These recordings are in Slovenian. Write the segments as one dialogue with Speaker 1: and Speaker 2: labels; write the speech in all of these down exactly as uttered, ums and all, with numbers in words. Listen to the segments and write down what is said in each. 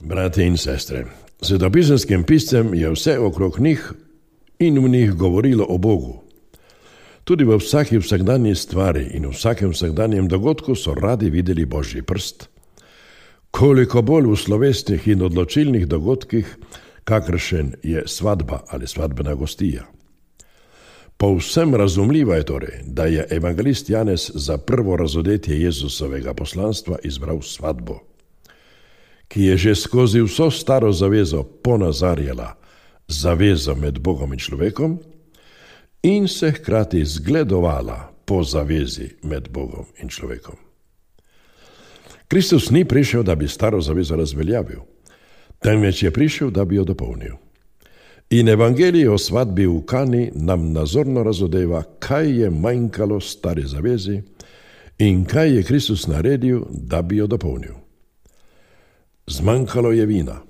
Speaker 1: Brate in sestre, svetopisenskim piscem je vse okrog njih in v njih govorilo o Bogu. Tudi v vsaki vsakdanji stvari in v vsakem vsakdanjem dogodku so radi videli Božji prst. Koliko bolj v slovesnih in odločilnih dogodkih, kakršen je svadba ali svadbena gostija. Povsem razumljivo je torej, da je evangelist Janez za prvo razodetje Jezusovega poslanstva izbral svadbo, ki je že skozi vso staro zavezo ponazarjala zavezo med Bogom in človekom in se hkrati zgledovala po zavezi med Bogom in človekom. Kristus ni prišel, da bi staro zavezo razveljavil, temveč je prišel, da bi jo dopolnil. In evangelij o svadbi v Kani nam nazorno razodeva, kaj je manjkalo stari zavezi in kaj je Kristus naredil, da bi jo dopolnil. Zmanjkalo je vina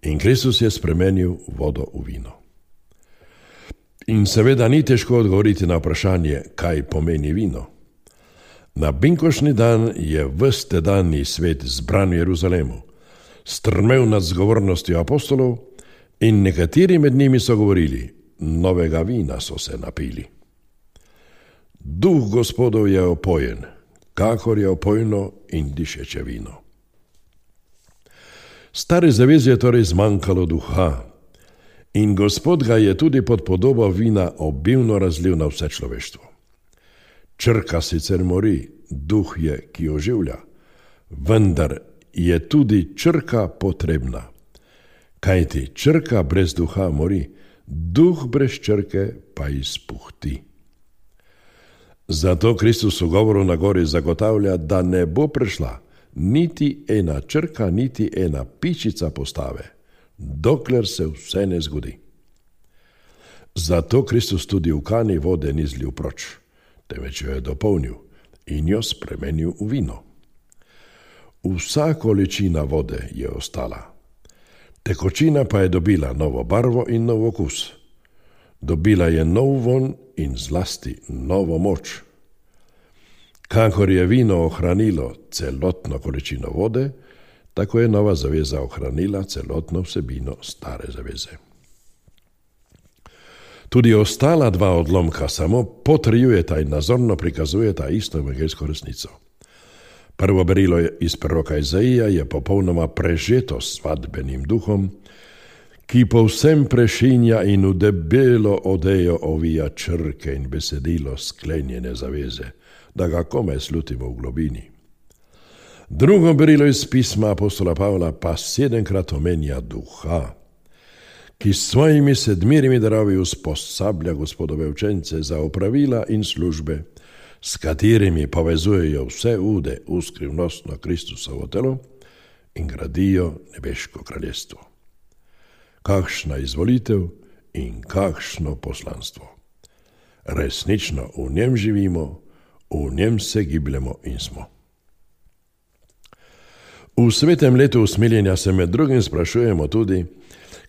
Speaker 1: in Kristus je spremenil vodo v vino. In seveda ni težko odgovoriti na vprašanje, kaj pomeni vino. Na binkošni dan je ves tedanji svet zbran v Jeruzalemu, strmel nad zgovornostjo apostolov in nekateri med njimi so govorili, novega vina so se napili. Duh Gospodov je opojen, kakor je opojno in dišeče vino. Stare zaveze je torej zmanjkalo duha in Gospod ga je tudi pod podobo vina obilno razlil na vse človeštvo. Črka sicer mori, duh je, ki oživlja, vendar je tudi črka potrebna. Kajti črka brez duha mori, duh brez črke pa izpuhti. Zato Kristus v govoru na gori zagotavlja, da ne bo prišla niti ena črka, niti ena pičica postave, dokler se vse ne zgodi. Zato Kristus tudi v Kani vode ni zlil proč, temveč jo je dopolnil in jo spremenil v vino. Vsa količina vode je ostala. Tekočina pa je dobila novo barvo in nov okus. Dobila je nov von in zlasti novo moč. Kakor je vino ohranilo celotno količino vode, tako je nova zaveza ohranila celotno vsebino stare zaveze. Tudi ostala dva odlomka samo potrjujeta in nazorno prikazujeta isto evangeljsko resnico. Prvo berilo iz proroka Izaija je popolnoma prežeto s svadbenim duhom, ki povsem prešinja in v debelo odejo ovija črke in besedilo sklenjene zaveze, da ga komaj slutimo v globini. Drugo berilo iz pisma apostola Pavla pa sedemkrat omenja duha, ki s svojimi sedmirimi darovi usposablja Gospodove učence za opravila in službe, s katerimi povezujejo vse ude v skrivnostno Kristusovo telo in gradijo nebeško kraljestvo. Kakšna izvolitev in kakšno poslanstvo. Resnično v njem živimo, v njem se gibljemo in smo. V svetem letu usmiljenja se med drugim sprašujemo tudi,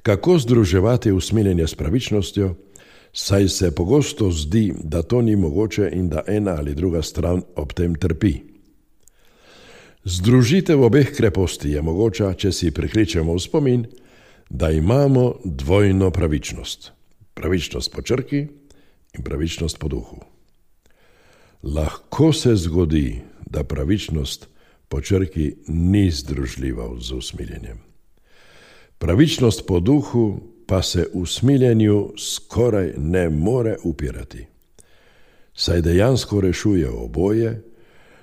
Speaker 1: kako združevati usmiljenje s pravičnostjo, saj se pogosto zdi, da to ni mogoče in da ena ali druga stran ob tem trpi. Združitev obeh kreposti je mogoča, če si prikličemo v spomin, da imamo dvojno pravičnost. Pravičnost po črki in pravičnost po duhu. Lahko se zgodi, da pravičnost po črki ni združljiva z usmiljenjem. Pravičnost po duhu pa se usmiljenju skoraj ne more upirati, saj dejansko rešuje oboje,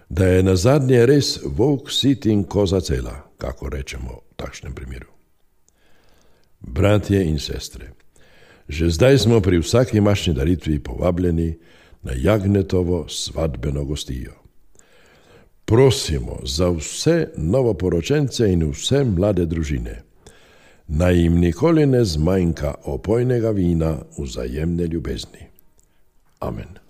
Speaker 1: da je nazadnje res volk sit in koza cela, kako rečemo v takšnem primeru. Bratje in sestre, že zdaj smo pri vsaki mašni daritvi povabljeni na Jagnetovo svadbeno gostijo. Prosimo za vse novoporočence in vse mlade družine, naj jim nikoli ne zmanjka opojnega vina vzajemne ljubezni. Amen.